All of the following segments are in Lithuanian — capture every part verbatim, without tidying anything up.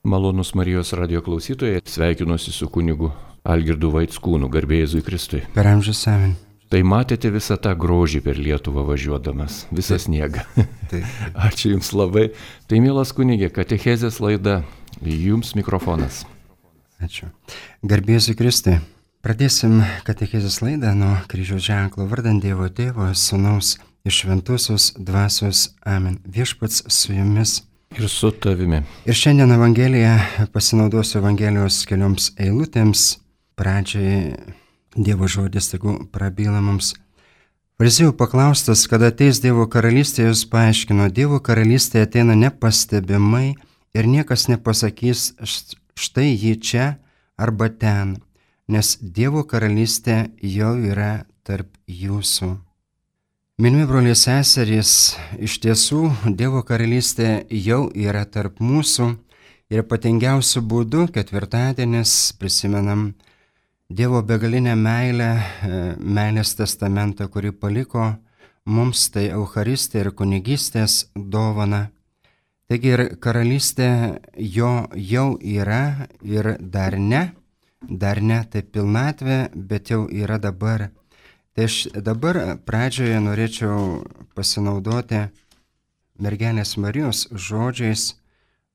Malonus Marijos radio klausytojai, sveikinuosi su kunigu Algirdu Vaitskūnu, garbė Jėzui Kristui. Per amžius amen. Tai matėte visą tą grožį per Lietuvą važiuodamas, visą Taip. sniegą. Taip. Ačiū Jums labai. Tai mielas kunigė, katechezės laida, Jums mikrofonas. Ačiū. Garbė Jėzui Kristui. Pradėsim katechezės laidą nuo kryžiaus ženklo vardant Dievo Tėvo, Sūnaus ir Šventosios Dvasios. Amen. Viešpats su jumis. Ir su tavimi. Ir šiandien Evangeliją pasinaudosiu Evangelijos kelioms eilutėms. Pradžiai Dievo žodis, tegu prabyla mums. Fariziejų paklaustas, kada ateis Dievo karalystė, jis paaiškino, Dievo karalystė ateina nepastebimai ir niekas nepasakys, štai ji čia arba ten, nes Dievo karalystė jau yra tarp jūsų. Mylimi broliai seserys, iš tiesų Dievo karalystė jau yra tarp mūsų ir ypatingiausiu būdu ketvirtadienis prisimenam Dievo begalinę meilę, meilės testamentą, kurį paliko mums, tai Eucharistė ir kunigystės dovana. Taigi ir karalystė jo jau yra ir dar ne, dar ne tai pilnatvė, bet jau yra dabar. Tai aš dabar pradžioje norėčiau pasinaudoti mergelės Marijos žodžiais.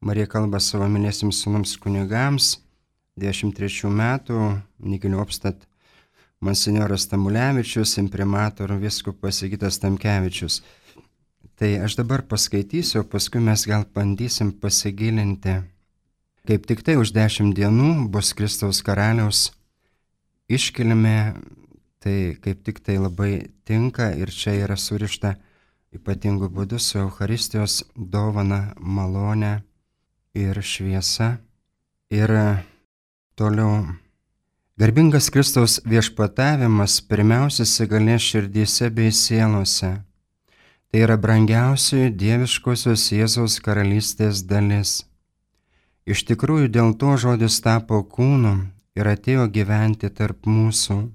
Marija kalba savo myliesiems sūnums kunigams. dvidešimt trečių metų Nigiliopstat monsinjoras Tamulevičius, imprimator vyskupas Sigitas Tamkevičius. Tai aš dabar paskaitysiu, paskui mes gal bandysim pasigilinti. Kaip tik tai už dešimt dienų bus Kristaus karaliaus iškilmė, tai kaip tik tai labai tinka ir čia yra surišta ypatingų būdų su Eucharistijos dovana, malone ir šviesa. Ir toliau, garbingas Kristaus viešpatavimas pirmiausia įsigalės širdyse bei sielose. Tai yra brangiausioji dieviškosios Jėzaus karalystės dalis. Iš tikrųjų, dėl to žodis tapo kūnu ir atėjo gyventi tarp mūsų.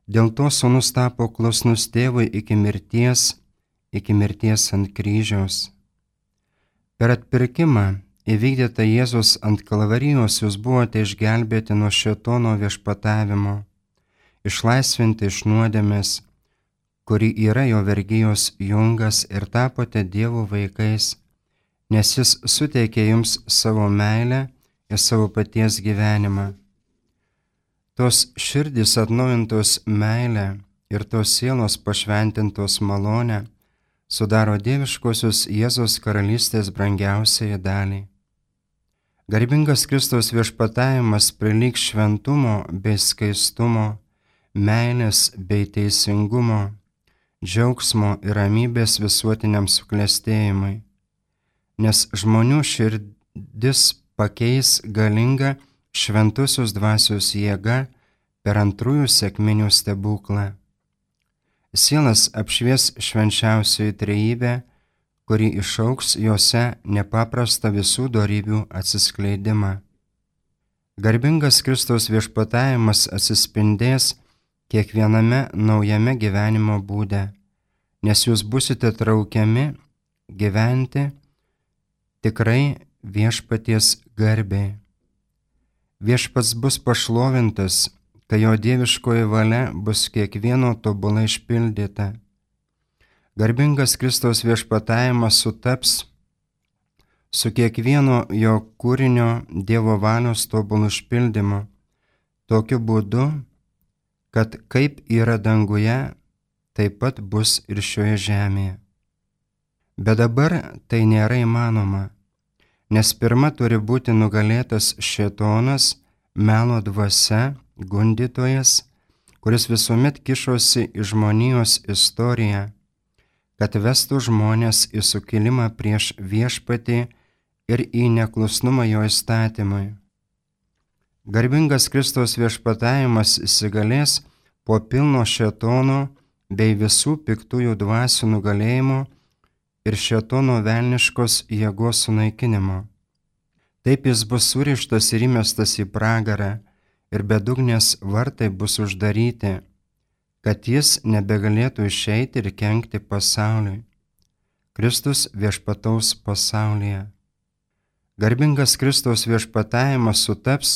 Dėl to sūnus tapo klusnus tėvui iki mirties, iki mirties ant kryžiaus. Per atpirkimą įvykdyta Jėzus ant kalvarijos, jūs buvote išgelbėti nuo šėtono viešpatavimo, išlaisvinti iš nuodėmės, kuri yra jo vergijos jungas, ir tapote Dievo vaikais, nes jis suteikė jums savo meilę ir savo paties gyvenimą. Tos širdys atnaujintos meilę ir tos sielos pašventintos malonę sudaro dieviškosios Jėzos karalystės brangiausiai dalį. Garbingas Kristaus viešpatavimas prilygs šventumo bei skaistumo, meilės bei teisingumo, džiaugsmo ir ramybės visuotiniam suklestėjimui, nes žmonių širdis pakeis galinga šventosios dvasios jėga per antrųjų sekminių stebuklą. Sielas apšvies švenčiausioji trejybė, kuri išauks jose nepaprastą visų dorybių atsiskleidimą. Garbingas Kristaus viešpatavimas atsispindės kiekviename naujame gyvenimo būde, nes jūs busite traukiami gyventi tikrai viešpaties garbei. Viešpats bus pašlovintas, kai jo dieviškoji valia bus kiekvieno tobulai išpildyta. Garbingas Kristaus viešpatavimas sutaps su kiekvieno jo kūrinio Dievo valios tobulų išpildymu, tokiu būdu, kad kaip yra danguje, taip pat bus ir šioje žemėje. Bet dabar tai nėra įmanoma, nes pirma turi būti nugalėtas šėtonas, melo dvasia, gundytojas, kuris visuomet kišosi į žmonijos istoriją, kad vestų žmonės į sukilimą prieš viešpatį ir į neklusnumą jo įstatymui. Garbingas Kristaus viešpatavimas įsigalės po pilno šėtono bei visų piktųjų dvasių nugalėjimo ir šėtono velniškos jėgos sunaikinimo. Taip jis bus surištas ir įmestas į pragarą, ir bedugnės vartai bus uždaryti, kad jis nebegalėtų išeiti ir kenkti pasauliui. Kristus viešpataus pasaulyje. Garbingas Kristaus viešpatavimas sutaps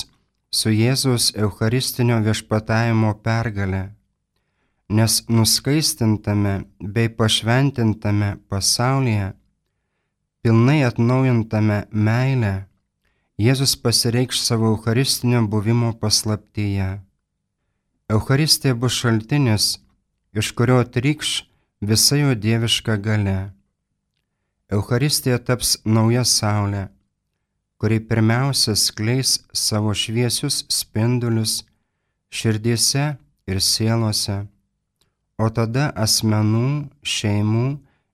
su Jėzaus eucharistinio viešpatavimo pergale, nes nuskaistintame bei pašventintame pasaulyje, pilnai atnaujintame meilę, Jėzus pasireikš savo eucharistinio buvimo paslaptyje. Eucharistija bus šaltinis, iš kurio trykš visa jo dieviška galia. Eucharistija taps nauja saulė, kuri pirmiausia skleis savo šviesius spindulius širdyse ir sielose, o tada asmenų, šeimų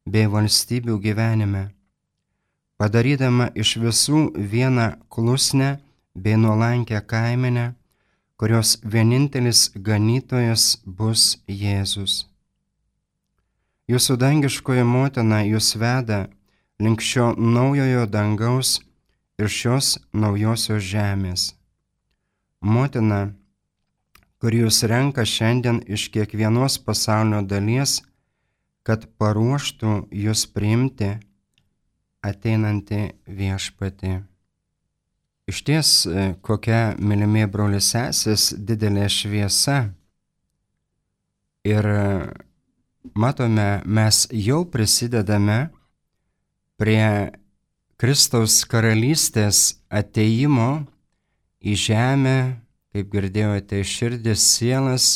bei valstybių gyvenime, padarydama iš visų vieną klusnę bei nuolankę kaimenę, kurios vienintelis ganytojas bus Jėzus. Jūsų dangiškoji motina jūs veda link šio naujojo dangaus ir šios naujosios žemės. Motina, kuri jūs renka šiandien iš kiekvienos pasaulio dalies, kad paruoštų jūs priimti ateinantį viešpatį. Išties, kokia, mylimi broliai sesės, didelė šviesa. Ir matome, mes jau prisidedame prie Kristaus karalystės ateimo į žemę, kaip girdėjote, širdis, sielas,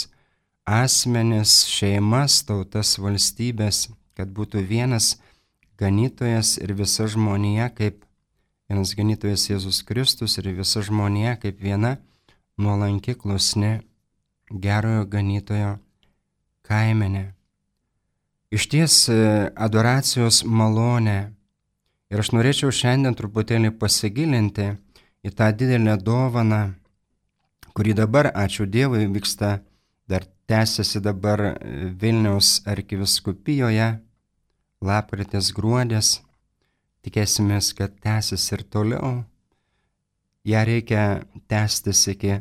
asmenis, šeimas, tautas, valstybės, kad būtų vienas ganytojas ir visa žmonija kaip vienas ganytojas Jėzus Kristus ir visa žmonija kaip viena nuolanki, klusni, gerojo ganytojo kaimenė. Išties adoracijos malonė. Ir aš norėčiau šiandien truputėlį pasigilinti į tą didelę dovaną, kuri dabar, ačiū Dievui, vyksta, dar tęsiasi dabar Vilniaus arkivyskupijoje, lapkritis, gruodis. Tikėsimės, kad tęsis ir toliau. Ja reikia tęstis iki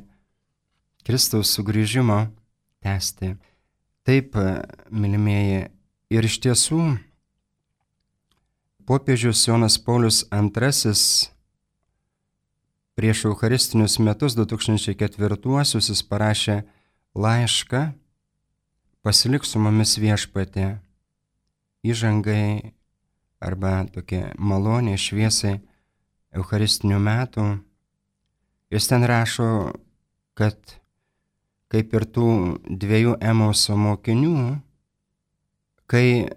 Kristaus sugrįžimo, tęsti. Taip, mylimieji, ir iš tiesų popiežius Jonas Paulius antrasis prieš eucharistinius metus du tūkstančiai ketvirtuosius jis parašė laišką Pasilik su mumis viešpatie, įžangai arba tokie maloniai šviesai eucharistinių metų. Jis ten rašo, kad kaip ir tų dviejų Emauso mokinių, kai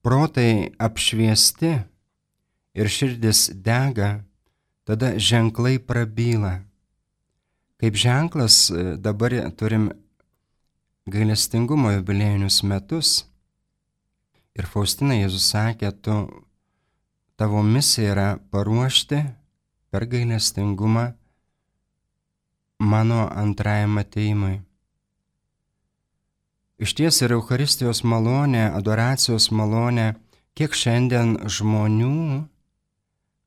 protai apšviesti ir širdis dega, tada ženklai prabyla. Kaip ženklas dabar turim gailestingumo jubiliejinius metus. Ir Faustina Jėzus sakė, tu, tavo misija yra paruošti per gailestingumą mano antrajam ateimui. Išties ir Eucharistijos malonė, adoracijos malonė, kiek šiandien žmonių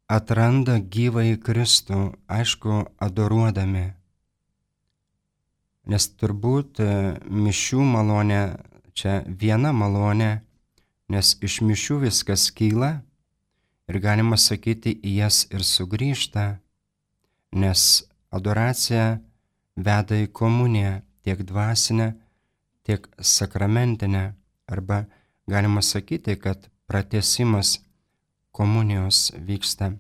atranda gyvąjį Kristų, aišku, adoruodami. Nes turbūt mišių malonė čia viena malonė, nes iš mišių viskas kyla ir galima sakyti, į jas ir sugrįžta, nes adoracija veda į komuniją tiek dvasinę, tiek sakramentinę, arba galima sakyti, kad pratęsimas komunijos vyksta,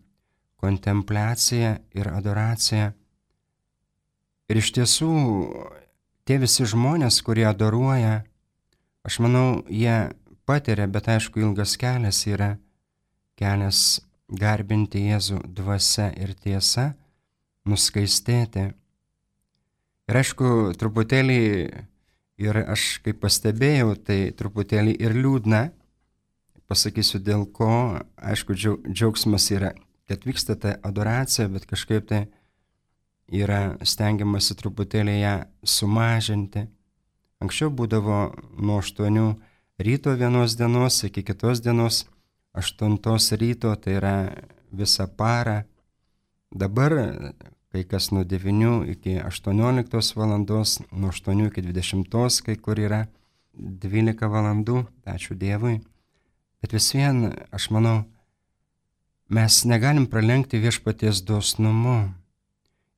kontempliacija ir adoracija. Ir iš tiesų, tie visi žmonės, kurie adoruoja, aš manau, jie patiria, bet aišku, ilgas kelias yra kelias garbinti Jėzų dvasia ir tiesa, nuskaistėti. Ir aišku, truputėlį, ir aš kaip pastebėjau, tai truputėlį ir liūdna, pasakysiu dėl ko, aišku, džiaugsmas yra, kad vyksta ta adoracija, bet kažkaip tai yra stengiamasi truputėlį ją sumažinti. Anksčiau būdavo nuo aštuonių ryto vienos dienos iki kitos dienos aštuntos ryto, tai yra visą parą. Dabar kai kas nuo devynių iki aštuonioliktos valandos, nuo aštuonių iki dvidešimtos, kai kur yra dvylika valandų, ačiū Dievui. Bet vis vien, aš manau, mes negalim pralenkti viešpaties dosnumu.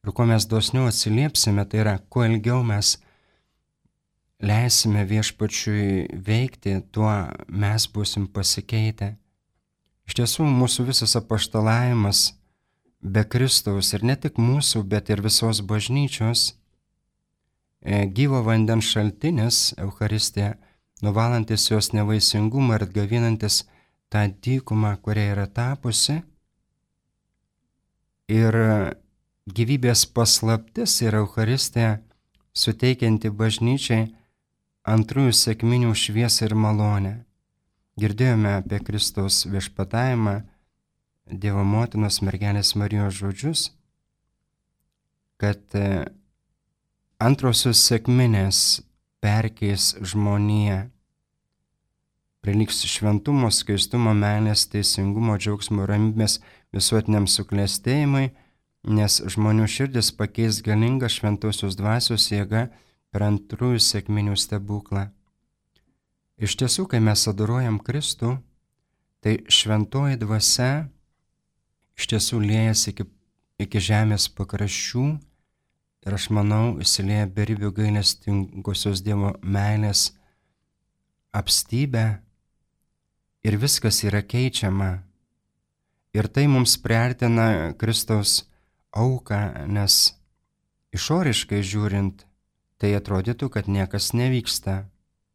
Ir kuo mes dosniau atsiliepsime, tai yra, kuo ilgiau mes leisime viešpačiui veikti, tuo mes būsim pasikeitę. Iš tiesų, mūsų visas apaštalavimas be Kristaus ir ne tik mūsų, bet ir visos bažnyčios, gyvo vandens šaltinis, Eucharistija, nuvalantis jos nevaisingumą ir atgavinantis tą dykumą, kuria yra tapusi. Ir gyvybės paslaptis yra Eucharistija, suteikianti bažnyčiai antrųjų sekminių šviesą ir malonę. Girdėjome apie Kristaus viešpatavimą, Dievo motinos mergelės Marijos žodžius, kad antrosios sekminės perkeis žmoniją, priliks šventumo, skaistumo, meilės, teisingumo, džiaugsmo, ramybės visuotiniam suklestėjimui, nes žmonių širdis pakeis galinga šventosios dvasios jėga per antrųjų sekminių stebuklą. Iš tiesų, kai mes adoruojam Kristų, tai šventoji dvasia iš tiesų liejasi iki, iki žemės pakraščių ir aš manau, įsilieja beribių gailestingosios Dievo meilės apstybę ir viskas yra keičiama. Ir tai mums priartina Kristaus auką, nes išoriškai žiūrint, tai atrodytų, kad niekas nevyksta,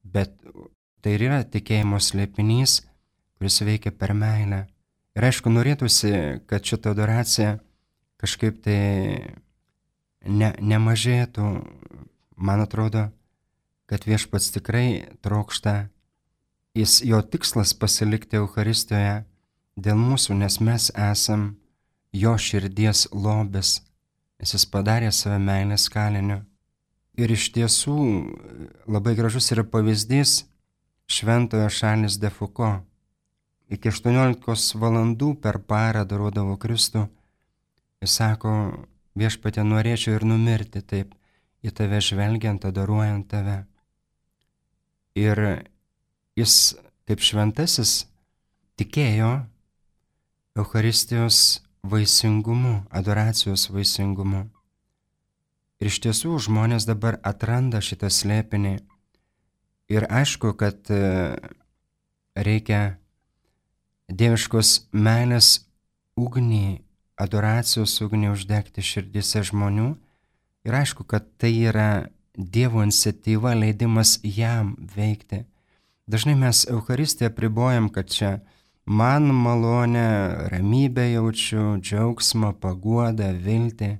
bet tai ir yra tikėjimo slėpinys, kuris veikia per meilę. Ir aišku, norėtųsi, kad šita adoracija kažkaip tai ne, nemažėtų. Man atrodo, kad viešpats tikrai trokšta, jis, jo tikslas pasilikti Eucharistijoje dėl mūsų, nes mes esam jo širdies lobis, nes jis padarė save meilės kaliniu. Ir iš tiesų labai gražus yra pavyzdys šventojo Šarlis de Foucault. Iki aštuoniolikos valandų per parą adoruodavo Kristų. Jis sako, viešpatie, norėčiau ir numirti taip, į tave žvelgiant, adoruojant tave. Ir jis, kaip šventasis, tikėjo Eucharistijos vaisingumu, adoracijos vaisingumu. Ir iš tiesų žmonės dabar atranda šitą slėpinį. Ir aišku, kad reikia dieviškos meilės ugnį, adoracijos ugnį uždegti širdise žmonių. Ir aišku, kad tai yra Dievo iniciatyva, leidimas jam veikti. Dažnai mes Eucharistiją apribojam, kad čia man malonę, ramybę jaučiu, džiaugsmą, paguodą, viltį.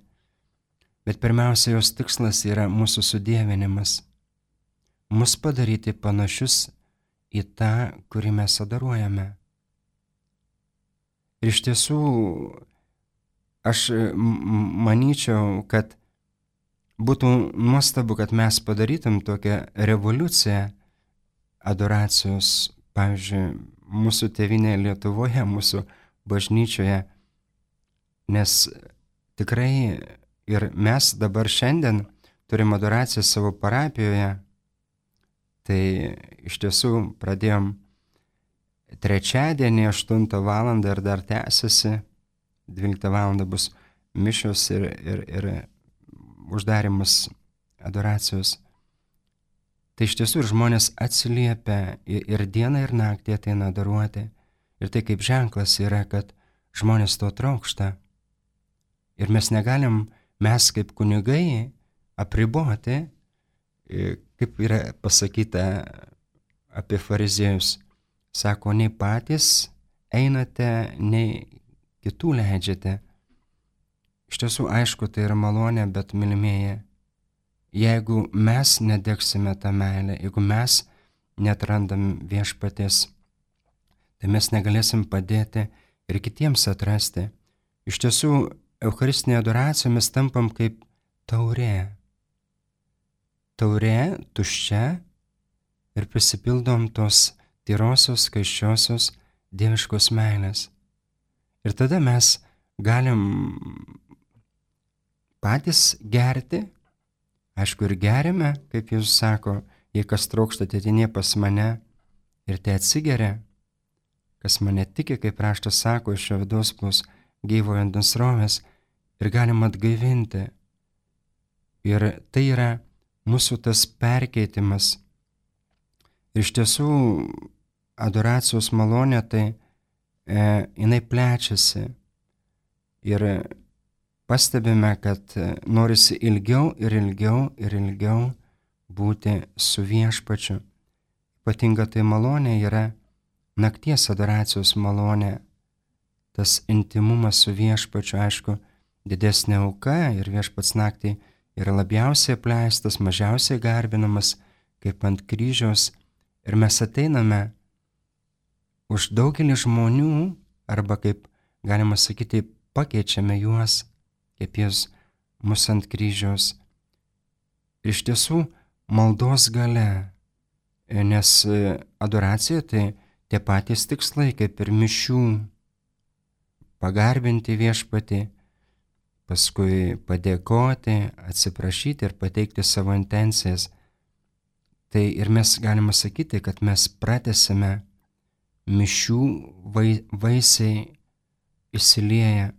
Bet pirmiausia, jos tikslas yra mūsų sudievinimas. Mus padaryti panašius į tą, kurį mes adoruojame. Ir iš tiesų, aš manyčiau, kad būtų nuostabu, kad mes padarytum tokią revoliuciją adoracijos, pavyzdžiui, mūsų tėvynėje Lietuvoje, mūsų bažnyčioje, nes tikrai ir mes dabar šiandien turim adoraciją savo parapijoje, tai iš tiesų pradėjom trečiadienį aštuntą valandą ir dar tęsiasi, dvyliktą valandą bus mišios ir, ir, ir uždarimas adoracijos. Tai iš tiesų ir žmonės atsiliepia ir, ir dieną ir naktį ateina adoruoti. Ir tai kaip ženklas yra, kad žmonės to trokšta. Ir mes negalim, mes kaip kunigai, apriboti, kaip yra pasakyta apie fariziejus. Sako, nei patys einate, nei kitų leidžiate. Iš tiesų, aišku, tai yra malonė, bet mylimieji, jeigu mes nedegsime tą meilę, jeigu mes neatrandam viešpaties, tai mes negalėsim padėti ir kitiems atrasti. Iš tiesų, Eucharistinėje adoracijoje mes tampam kaip taurė. Taurė tuščia ir prisipildom tos tyrosios, skaisčiosios, dieviškos meilės. Ir tada mes galim patys gerti, aišku ir gerime, kaip Jėzus sako, jei kas trokšta, ateini pas mane ir tai atsigeria. kas mane tiki, kaip raštas sako, iš jo vidaus plūs gyvo vandens srovės ir galima atgaivinti. Ir tai yra mūsų tas perkeitimas. Ir iš tiesų adoracijos malonė tai e, jinai plečiasi. Ir pastebime, kad norisi ilgiau ir ilgiau ir ilgiau būti su viešpačiu. Ypatinga tai malonė yra nakties adoracijos malonė. Tas intimumas su viešpačiu, aišku, didesnė auka ir viešpats naktį yra labiausiai apleistas, mažiausiai garbinamas, kaip ant kryžiaus. Ir mes ateiname už daugelį žmonių, arba kaip galima sakyti, pakeičiame juos, kaip jis mus ant kryžiaus. Ir iš tiesų maldos galia, nes adoracija tai tie patys tikslai, kaip ir mišių. Pagarbinti viešpatį, paskui padėkoti, atsiprašyti ir pateikti savo intencijas. Tai ir mes galime sakyti, kad mes pratęsime mišių vai, vaisiai įsilieję.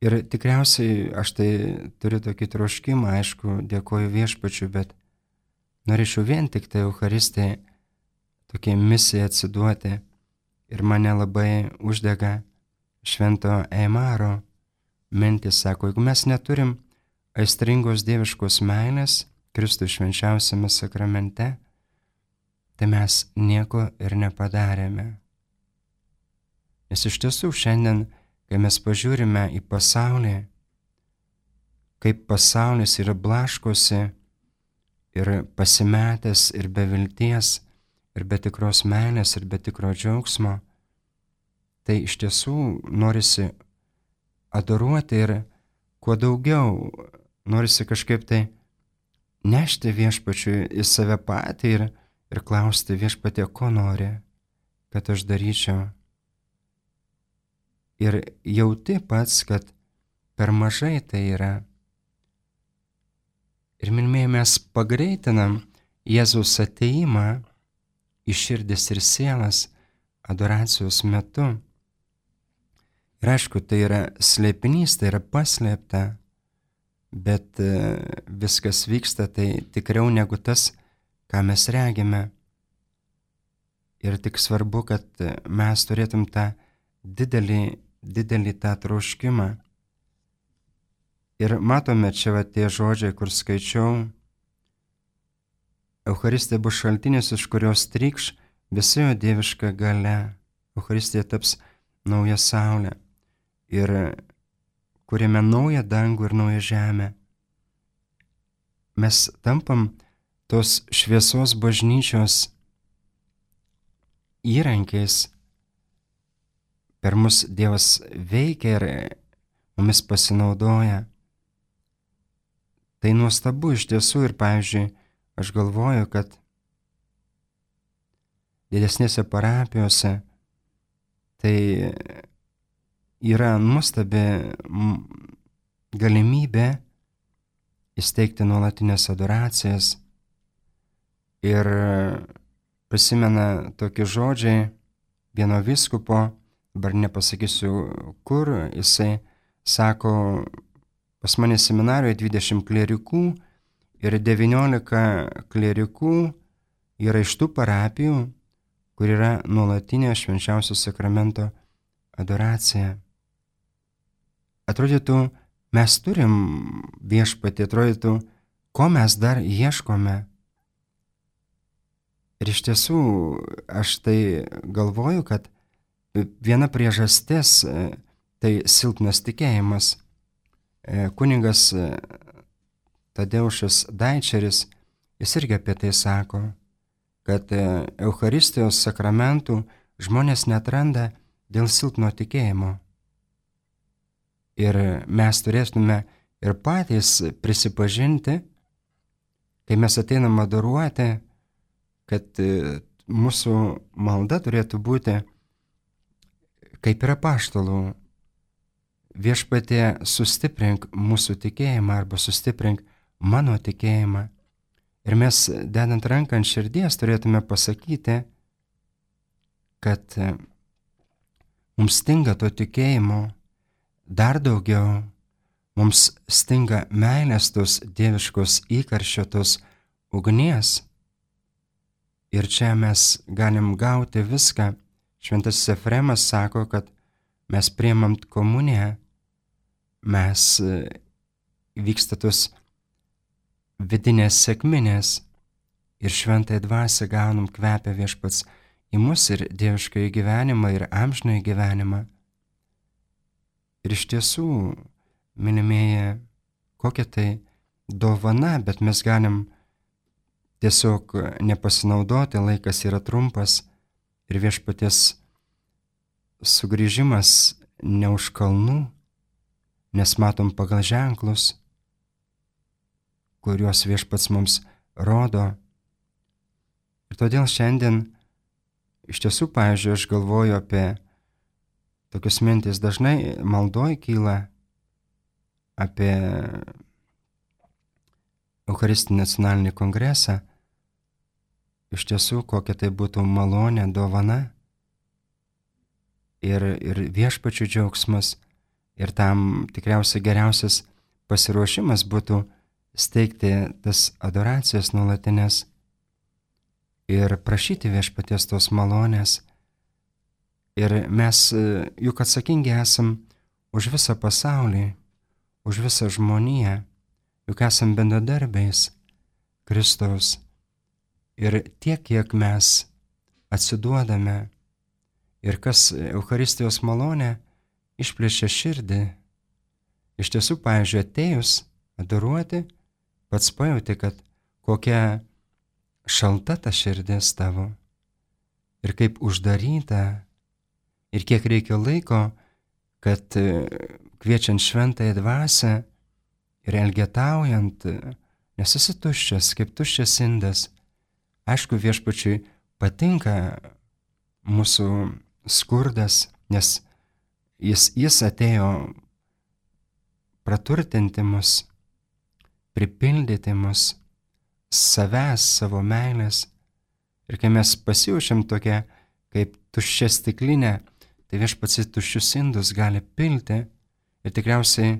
Ir tikriausiai aš tai turiu tokį troškimą, aišku, dėkoju viešpačiu, bet norėčiau vien tik tai Eucharistijai tokiai misijai atsiduoti. Ir mane labai uždega švento Eimaro mintis, sako, jeigu mes neturim aistringos dieviškos meilės Kristui švenčiausiame sakramente, tai mes nieko ir nepadarėme. Nes iš tiesų šiandien, kai mes pažiūrime į pasaulį, kaip pasaulis yra blaškosi ir pasimetęs ir be vilties, ir be tikros meilės, ir be tikro džiaugsmo, tai iš tiesų norisi adoruoti ir kuo daugiau, norisi kažkaip tai nešti viešpačiui į save patį ir, ir klausti viešpatie, ko nori, kad aš daryčiau. Ir jauti pats, kad per mažai tai yra. Ir mylimieji, mes pagreitinam Jėzaus ateimą į širdis ir sielas adoracijos metu. Ir aišku, tai yra slėpinys, tai yra paslėpta, bet viskas vyksta tai tikriau negu tas, ką mes regime. Ir tik svarbu, kad mes turėtum tą didelį, didelį tą troškimą. Ir matome čia va tie žodžiai, kur skaičiau, Eucharistija bus šaltinis, iš kurios trykš visa jo dieviška galia. Eucharistija taps nauja saulė ir kuriame naują dangų ir naują žemę. Mes tampam tos šviesos bažnyčios įrankiais. Per mus Dievas veikia ir mumis pasinaudoja. Tai nuostabu iš tiesų ir, pavyzdžiui, aš galvoju, kad didesnėse parapijose tai yra nuostabi galimybė įsteigti nuolatinės adoracijas. Ir prisimena tokie žodžiai vieno vyskupo, dabar nepasakysiu kur, jisai sako, pas mane seminarijoje dvidešimt klierikų ir devyniolika klierikų yra iš tų parapijų, kur yra nuolatinė švenčiausio sakramento adoracija. Atrodytų, mes turim viešpatį, atrodytų, ko mes dar ieškome. Ir iš tiesų, aš tai galvoju, kad viena priežastis tai silpnas tikėjimas. Kunigas Tadeušas Daičeris, jis irgi apie tai sako, kad Eucharistijos sakramentų žmonės neatranda dėl silpno tikėjimo. Ir mes turėtume ir patys prisipažinti, kai mes ateinam adoruoti, kad mūsų malda turėtų būti kaip ir apaštalų. Viešpatie, sustiprink mūsų tikėjimą arba sustiprink mano tikėjimą. Ir mes, dedant ranką ant širdies, turėtume pasakyti, kad mums stinga to tikėjimo dar daugiau, mums stinga meilės tos dieviškos įkarščio, tos ugnies. Ir čia mes galim gauti viską. Šventasis Efremas sako, kad mes priimam komuniją, mes vyksta tos vidinės sekminės ir šventąją dvasią gaunam, kvepia Viešpats į mus ir dieviškąjį gyvenimą, ir amžinąjį gyvenimą. Ir iš tiesų, mylimieji, kokia tai dovana, bet mes galim tiesiog nepasinaudoti, laikas yra trumpas ir Viešpaties sugrįžimas ne už kalnų, nes matom pagal ženklus, kuriuos Viešpats mums rodo. Ir todėl šiandien iš tiesų, pavyzdžiui, aš galvoju apie tokius mintis, dažnai maldoj kyla apie Eucharistinį nacionalinį kongresą. Iš tiesų, kokia tai būtų malonė, dovana ir, ir Viešpačių džiaugsmas. Ir tam tikriausiai geriausias pasiruošimas būtų steigti tas adoracijas nuolatinės ir prašyti Viešpaties tos malonės. Ir mes juk atsakingi esam už visą pasaulį, už visą žmoniją, juk esam bendradarbiais Kristaus. Ir tiek, kiek mes atsiduodame ir kas Eucharistijos malonė išplėšia širdį. Iš tiesų, pavyzdžiui, atėjus adoruoti, pats pajauti, kad kokia šalta ta širdis tavo ir kaip uždaryta ir kiek reikia laiko, kad kviečiant šventąją dvasią ir elgetaujant, nes esi tuščias, kaip tuščias indas. Aišku, Viešpačiui patinka mūsų skurdas, nes jis, jis atėjo praturtinti mus, pripildyti mus savęs, savo meilės. Ir kai mes pasijaučiam tokia kaip tuščia stiklinė, tai Viešpats į tuščius indus gali pilti. Ir tikriausiai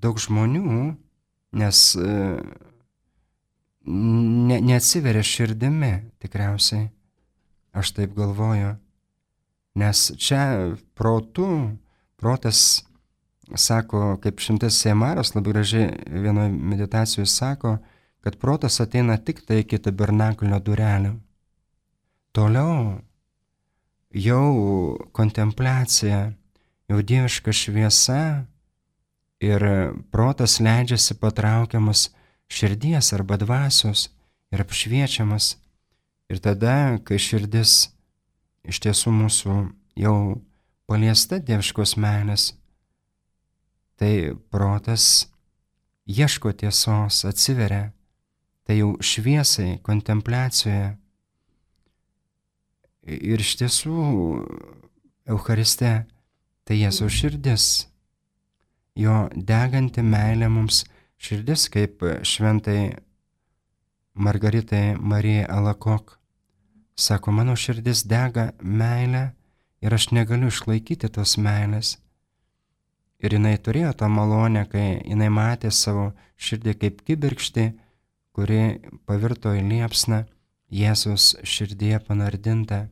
daug žmonių, nes ne, neatsiveria širdimi, tikriausiai, aš taip galvoju, nes čia protu, protas sako, kaip šimtas Semaras labai gražiai vienoje meditacijoje sako, kad protas ateina tik tai iki tabernakulio durelių. Toliau jau kontempliacija, jau dieviška šviesa ir protas leidžiasi patraukiamas širdies arba dvasios ir apšviečiamas. Ir tada, kai širdis iš tiesų mūsų jau paliesta dieviškos meilės, tai protas ieško tiesos, atsiveria, tai jau šviesai, kontempliacijoje. Ir iš tiesų Eucharistė tai Jėzaus širdis, jo deganti meilė mums širdis, kaip šventai Margaritai Marijai Alakok. Sako, mano širdis dega meilę ir aš negaliu išlaikyti tos meilės. Ir jinai turėjo tą malonę, kai jinai matė savo širdį kaip kibirkštį, kuri pavirto į liepsną Jėzus širdyje panardinta.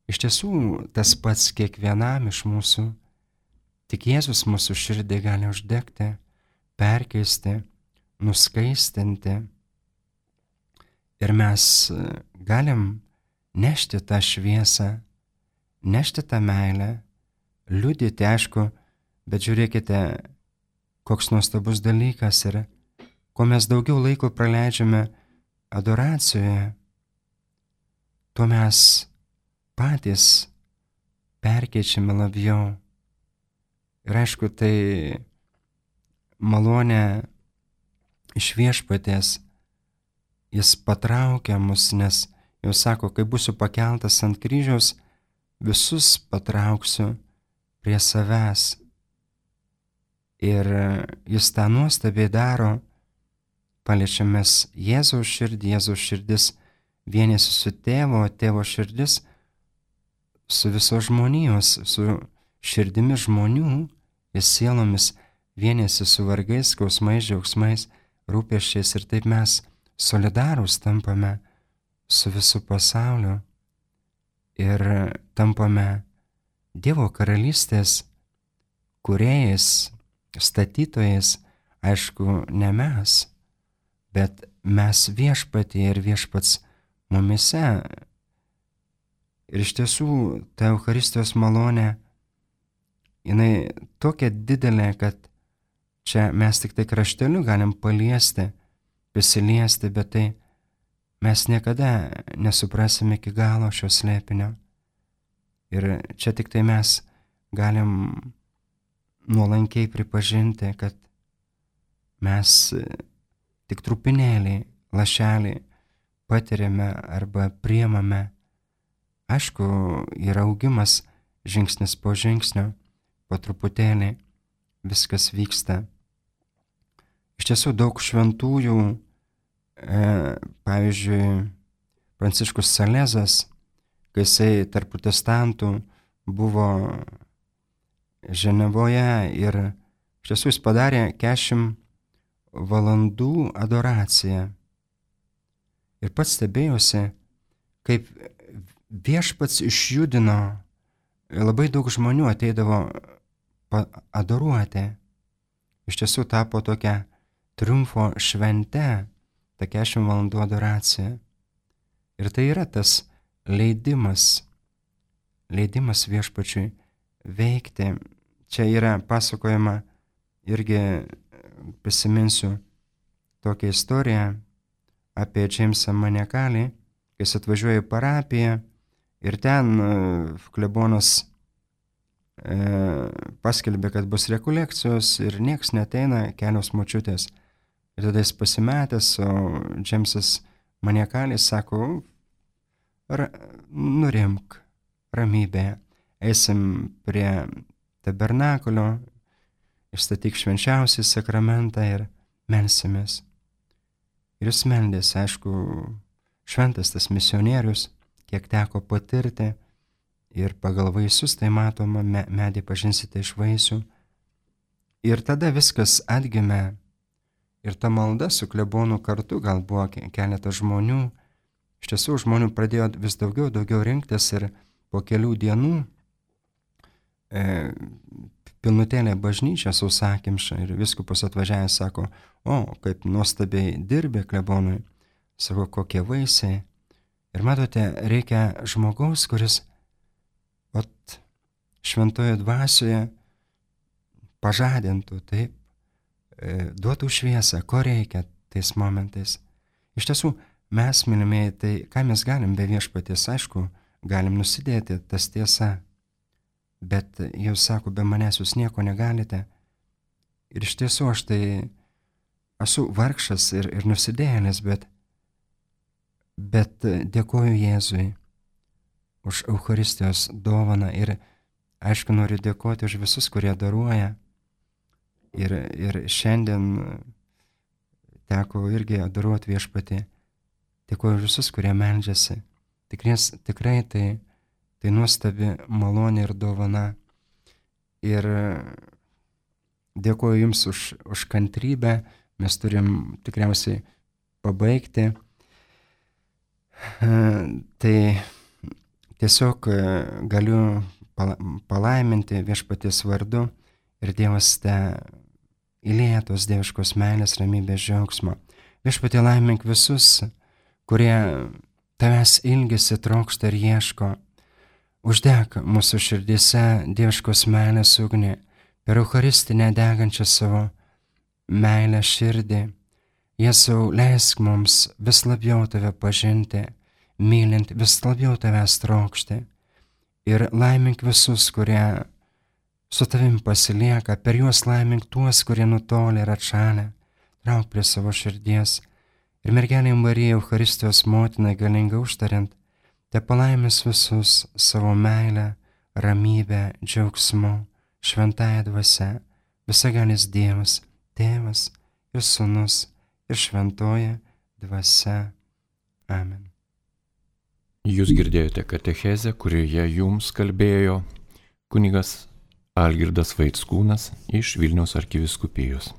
Iš tiesų, tas pats kiekvienam iš mūsų, tik Jėzus mūsų širdį gali uždegti, perkeisti, nuskaistinti. Ir mes galim nešti tą šviesą, nešti tą meilę, liudyti, aišku, bet žiūrėkite, koks nuostabus dalykas yra, kuo mes daugiau laiko praleidžiame adoracijoje, tuo mes patys perkeičiame labiau. Ir aišku, tai malonė iš Viešpaties, jis patraukia mus, nes jau sako, kai būsiu pakeltas ant kryžiaus, visus patrauksiu prie savęs. Ir jis tą nuostabiai daro, paliečiamės Jėzaus širdį, Jėzaus širdis vienėsi su tėvo, tėvo širdis su visos žmonijos, su širdimi žmonių ir sielomis vienėsi su vargais, skausmais, džiaugsmais, rūpesčiais ir taip mes solidarūs tampame su visu pasauliu ir tampame Dievo karalystės kūrėjais, statytojais, aišku, ne mes, bet mes viešpatyje ir viešpats mumise. Ir iš tiesų ta Eucharistijos malonė, jinai tokia didelė, kad čia mes tik tai krašteliu galim paliesti, prisiliesti, bet tai mes niekada nesuprasime iki galo šio slėpinio. Ir čia tik tai mes galim nuolankiai pripažinti, kad mes tik trupinėlį, lašelį patiriame arba priemame. Aišku, yra augimas žingsnis po žingsnio, po truputėlį viskas vyksta. Iš tiesų daug šventųjų, e, pavyzdžiui, Pranciškus Salezas, kai jisai tarp protestantų buvo Ženevoje ir iš tiesų jis padarė keturiasdešimt valandų adoraciją. Ir pats stebėjosi, kaip viešpats išjudino, labai daug žmonių ateidavo adoruoti. Iš tiesų tapo tokia triumfo švente, ta keturiasdešimt valandų adoracija. Ir tai yra tas leidimas, leidimas viešpačiui veikti. Čia yra pasakojama, irgi prisiminsiu tokią istoriją apie Džeimsą Maniakalį, kai jis atvažiuoja į parapiją ir ten klebonas e, paskelbė, kad bus rekolekcijos ir nieks neteina, kelios močiutės. Ir tada jis pasimetęs, o Džeimsas Maniakalis sako, Ra, nurimk, ramybė, eisim prie tabernakulio, išstatyk švenčiausią sakramentą ir melsimės. Ir jis meldėsi, aišku, šventas tas misionierius, kiek teko patirti, ir pagal vaisius, tai matoma, me, medį pažinsite iš vaisių. Ir tada viskas atgimė, ir ta malda su klebonu kartu, gal buvo keletas žmonių. Iš tiesų žmonių pradėjo vis daugiau, daugiau rinktis ir po kelių dienų e, pilnutėlė bažnyčia sausakimša ir viskupas atvažiavęs sako, o, kaip nuostabiai dirbi klebonui, sako, kokie vaisiai. Ir matote, reikia žmogaus, kuris ot, šventoje dvasioje pažadintų, taip, e, duotų šviesą, ko reikia tais momentais. Iš tiesų, mes, mylimieji, tai ką mes galim be viešpaties, aišku, galim nusidėti, tas tiesa, bet jūs sako, be manęs jūs nieko negalite. Ir iš tiesų aš tai esu vargšas ir, ir nusidėjėlis, bet, bet dėkoju Jėzui už Eucharistijos dovaną ir aišku noriu dėkoti už visus, kurie daruoja. Ir, ir šiandien teko irgi adoruoti viešpatį. Dėkuoju visus, kurie meldžiasi. Tikries, tikrai tai, tai nuostabi malonė ir dovana. Ir dėkuoju Jums už, už kantrybę. Mes turim tikriausiai pabaigti. Tai tiesiog galiu palaiminti viešpaties vardu ir Dievas te įlieja tos dieviškos meilės, ramybės, džiaugsmo. Viešpatie laimink visus, kurie tavęs ilgisi, trokšta ir ieško. Uždek mūsų širdise dieviškos meilės ugnį, per Eucharistinę degančią savo meilę širdį. Jėzau, leisk mums vis labiau tave pažinti, mylint vis labiau tavęs trokšti. Ir laimink visus, kurie su tavim pasilieka, per juos laimink tuos, kurie nutolė ir atšalę, trauk prie savo širdies. Ir mergelė Marija, Eucharistijos motina, galinga užtariant, te palaimės visus savo meilę, ramybę, džiaugsmu, šventąją dvasią, visagalis Dievas, Tėvas ir Sūnus ir šventoji dvasia. Amen. Jūs girdėjote katechezę, kurioje jums kalbėjo kunigas Algirdas Vaickūnas iš Vilniaus arkivyskupijos.